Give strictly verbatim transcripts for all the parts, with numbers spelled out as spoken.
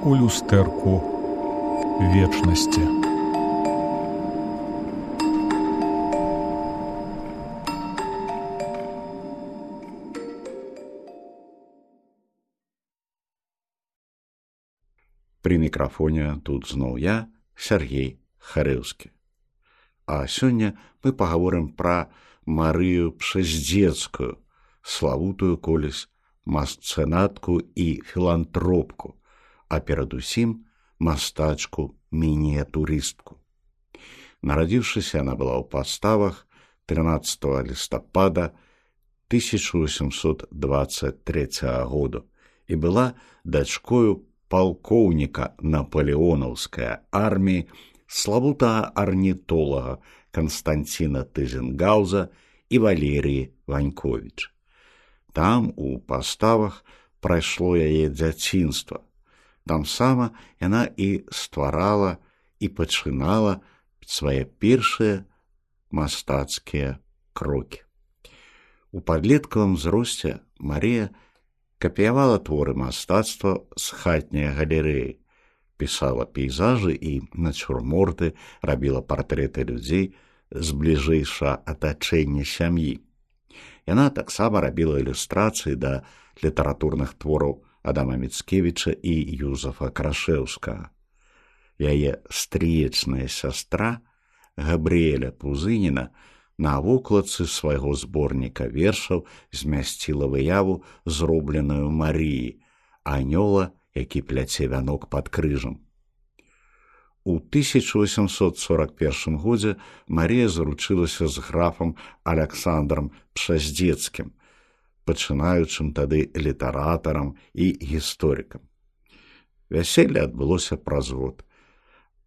у люстэрку вечнасці. При мікрафоне тут зноў я, Сергей Харэўскі. А сёння мы пагаворым пра Марыю Пшаздзецкую, славутую колісь масцэнатку і філантропку, а перадусім мастачку-мініятурыстку. Нарадзіўшыся, яна была ў Паставах трынаццатага лістапада тысяча восемьсот двадцать трэцяга году і была дачкою палкоўніка напалеонаўскай арміі, славутага арнітолага Канстанціна Тызенгауза і Валерыі Ваньковіч. Там, у Паставах, прайшло яе дзяцінства. Там сама яна і стварала і пачынала свае першыя мастацкія крокі. У падлеткавым узросце Марыя капіявала творы мастацтва з хатняй галерэі, пісала пейзажы і нацюрморты, рабіла партрэты людзей з бліжэйшага атачэння сям'і. Яна таксама рабіла ілюстрацыі да літаратурных твораў Адама Міцкевіча і Юзафа Крашэўскага. Яе стрыечная сястра Габрыэля Пузыніна на вокладцы свайго зборніка вершаў змясціла выяву, зробленую Марыі, анёла, які пляце вянок пад крыжам. У тысяча восемьсот сорок першым годзе Марыя заручылася з графам Аляксандрам Пшаздзецкім, пачынаючым тады літаратарам і гісторыкам. Вяселле адбылося праз год.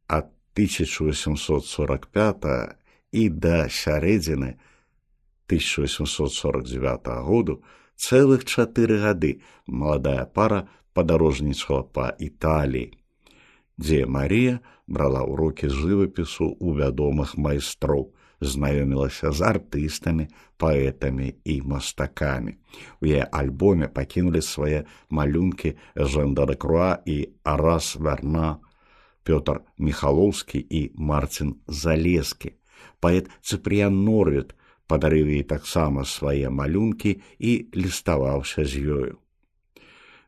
Ад тысяча восемьсот сорок пятага і да сярэдзіны тысяча восемьсот сорок дзевятага году цэлых чатыры гады маладая пара падарожнічала па Італіі, дзе Марія брала ўрокі жывапісу ў вядомых майстроў, знаёмілася з артыстамі, паэтамі і мастакамі. У яе альбоме пакінулі свае малюнкі Жан Дэлакруа і Арас Верна, Пётр Міхалоўскі і Марцін Залескі. Паэт Цыпрыян Норвід падарыў ёй таксама свае малюнкі і ліставаўся з ёю.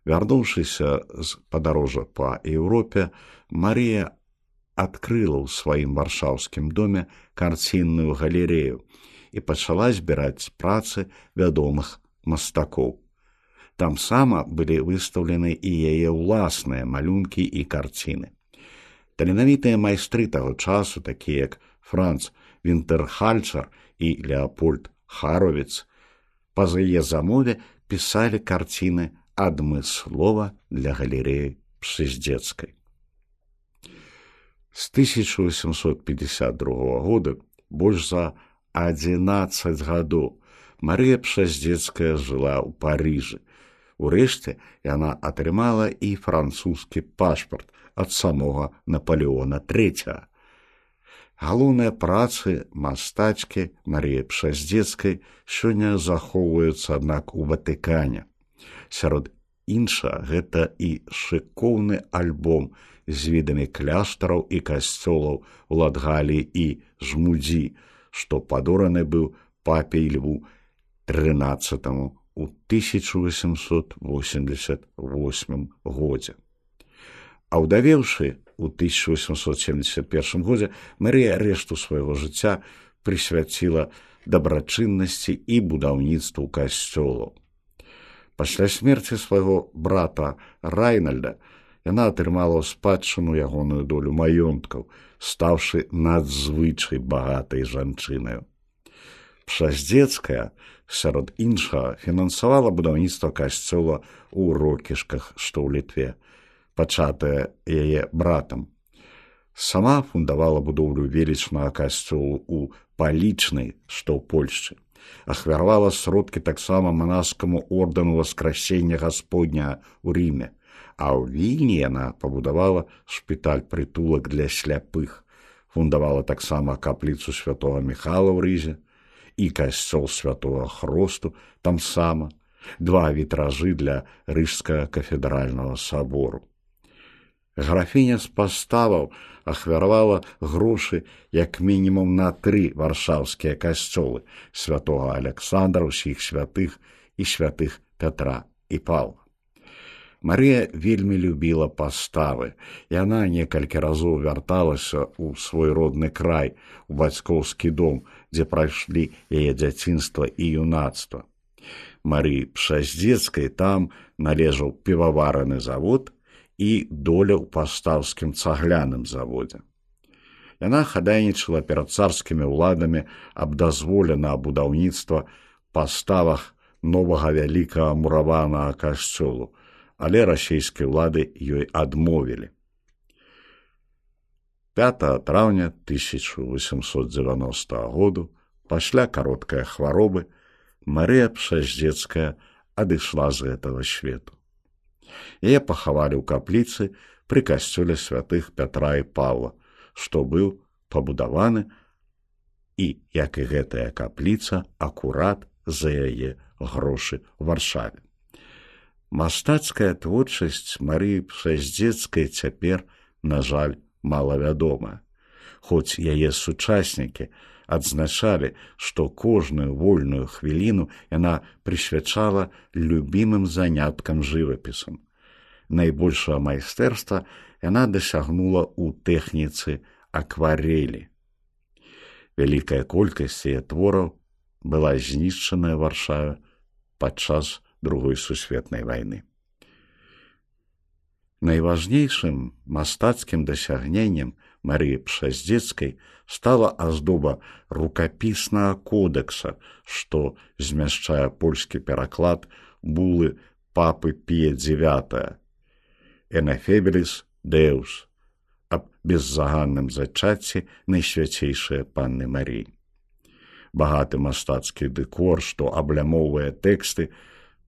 Вярнуўшыся з падарожжа па Еўропе, Марія адкрыла ў сваім варшаўскім доме карцінную галерэю і пачала збіраць працы вядомых мастакоў. Там сама былі выстаўлены і яе ўласныя малюнкі і карціны. Таленавітыя майстры таго часу, такія як Франц Вінтэрхальцер і Леапольд Харовіц, па-за яе замове пісалі карціны адмыслова для галерэі Пшаздзецкай. З тысяча восемьсот пятьдесят другога года, больш за адзінаццаць гадоў, Марыя Пшаздзецкая жыла ў Парыжы. Урэшце яна атрымала і французскі пашпарт ад самога Напалеона трэцяга. Галоўныя працы мастачкі Марыі Пшаздзецкай сёння захоўваюцца, аднак, у Ватыкане. Сярод іншага, гэта і шыкоўны альбом з відамі кляштараў і касцёлаў у Латгаліі і Жмудзі, што падораны быў папе Льву трынаццатаму ў тысяча восемьсот восемьдесят восьмым годзе. Аўдавеўшы у тысяча восемьсот семьдесят першым годзе, Марыя рэшту свайго жыцця прысвяціла дабрачыннасці і будаўніцтву касцёлаў. Пасля смерці свайго брата Райнальда яна атрымала ў спадчыну ягоную долю маёнткаў, стаўшы надзвычай багатай жанчынаю. Пшаздзецкая, сярод іншага, фінансавала будаўніцтва касцёла ў Рокішках, што ў Літве, пачатае яе братам. Сама фундавала будоўлю велічнага касцёлу ў Палічнай, што ў Польшчы. Ахвяравала сродкі таксама манаскаму ордэну Васкрасення Гасподняга ў Ріме, а ў Вільні яна пабудавала шпіталь-прытулак для сляпых, фундавала таксама капліцу святога Міхала ў Рызе і касцёл святога Хросту там сама, два вітражы для Рыжскага кафедральнага сабору. Графіня з паставаў ахвяравала грошы як мінімум на тры варшаўскія касцёлы святога Аляксандра, ўсіх святых і святых Пятра і Паўла. Марыя вельмі любіла паставы. Яна некалькі разоў вярталася ў свой родны край, у бацькоўскі дом, дзе прайшлі яе дзяцінства і юнацтва. Марыі Пшаздзецкай там належаў піваварны завод і доля ў пастаўскім цагляным заводзе. Яна хадайнічала перад царскімі ўладамі аб дазволе на будаўніцтва паставах новага вялікага мураванага касцёлу, але расійскія ўлады ёй адмовілі. пятага траўня тысяча восемьсот дзевяностага году, пасля кароткай хваробы, Марыя Пшаздзецкая адышла з гэтага свету. Яе пахавалі ў капліцы пры касцёле святых Пятра і Паўла, што быў пабудаваны і, як і гэтая капліца, акурат за яе грошы ў Варшаве. Мастацкая творчасць Марыі Пшаздзецкай цяпер, на жаль, малавядомая, хоць яе сучаснікі адзначалі, што кожную вольную хвіліну яна прысвячала любімым заняткам жывапісам. Найбольшае майстэрства яна дасягнула ў тэхніцы акварэлі. Вялікая колькасць яе твораў была знішчаная ў Варшаве падчас Другой сусветнай вайны. Найважнейшым мастацкім дасягненнем Марыі Пшаздзецкай стала аздоба рукапіснага кодэкса, што змяшчае польскі пераклад булы папы Пія дзевятага «Энефебеліс Деус» аб беззаганным зачацці найсвяцейшай Панны Марыі. Багаты мастацкі дэкор, што аблямоўвае тэксты,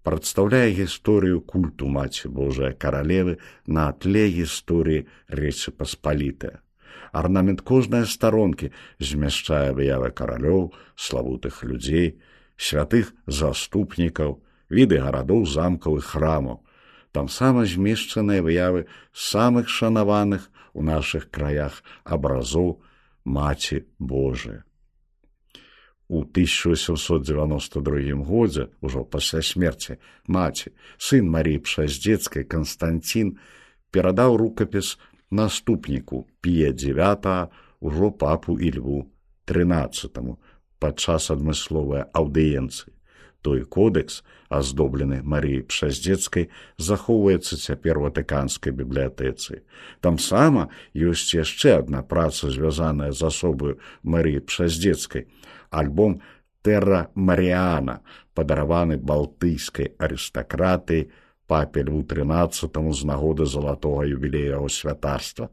прадстаўляе гісторыю культу Маці Божай Каралевы на тле гісторыі Рэчы Паспалітае. Арнамент кожнай старонкі змяшчае выявы каралёў, славутых людзей, святых заступнікаў, віды гарадоў, замкаў і храмаў. Тамсама змешчаныя выявы самых шанаваных у нашых краях абразоў Маці Божай. У тысяча восемьсот девяносто другім годзе, ужо пасля смерці маці, сын Марыі Пшаздзецкай Канстантін перадаў рукапіс наступніку Пія дзевятага, ужо папу Ільву трынаццатаму, падчас адмысловай аўдыенцыі. Той кодэкс, аздоблены Марыяй Пшаздзецкай, захоўваецца цяпер у Ватыканскай бібліятэцы. Тамсама ёсць яшчэ адна праца, звязаная з асобаю Марыі Пшаздзецкай, альбом «Тэрра Маріяна», падараваны балтыйскай арыстакратыяй папе Льву трынаццатаму з нагоды залатога юбілея яго святарства.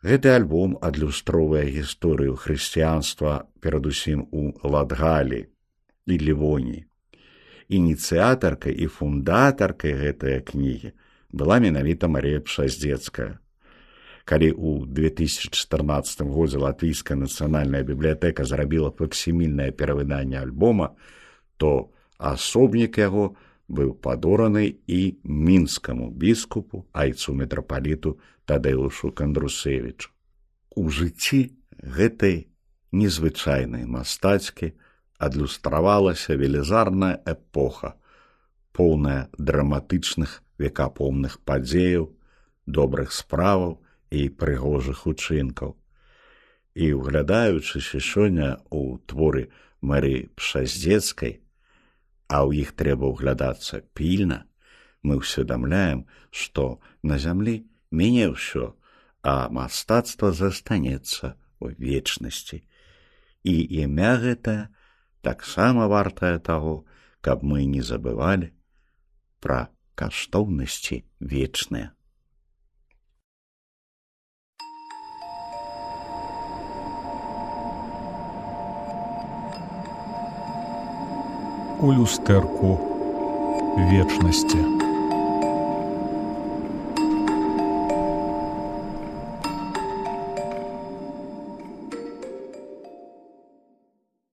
Гэты альбом адлюстроўвае гісторыю хрысціянства перадусім у Латгаліі і Лівоніі. Ініцыятаркай і фундатаркай гэтай кнігі была менавіта Марыя Пшаздзецкая. Калі ў две тысячы чатырнаццатым годзе Латвійская нацыянальная бібліятэка зрабіла факсімільнае перавыданне альбома, то асобнік яго быў падораны і мінскаму біскупу, айцу мітрапаліту Тадэушу Кандрусевічу. У жыцці гэтай незвычайнай мастацкі адлюстравалася велізарная эпоха, поўная драматычных векапомных падзеяў, добрых справаў і прыгожых учынкаў. І, углядаючыся сёння ў творы Марыі Пшаздзецкай, а ў іх трэба ўглядацца пільна, мы ўсведамляем, што на зямлі міне ўсё, а мастацтва застанецца ў вечнасці. І імя гэта таксама вартае таго, каб мы не забывалі пра каштоўнасці вечныя. У люстэрку вечнасці.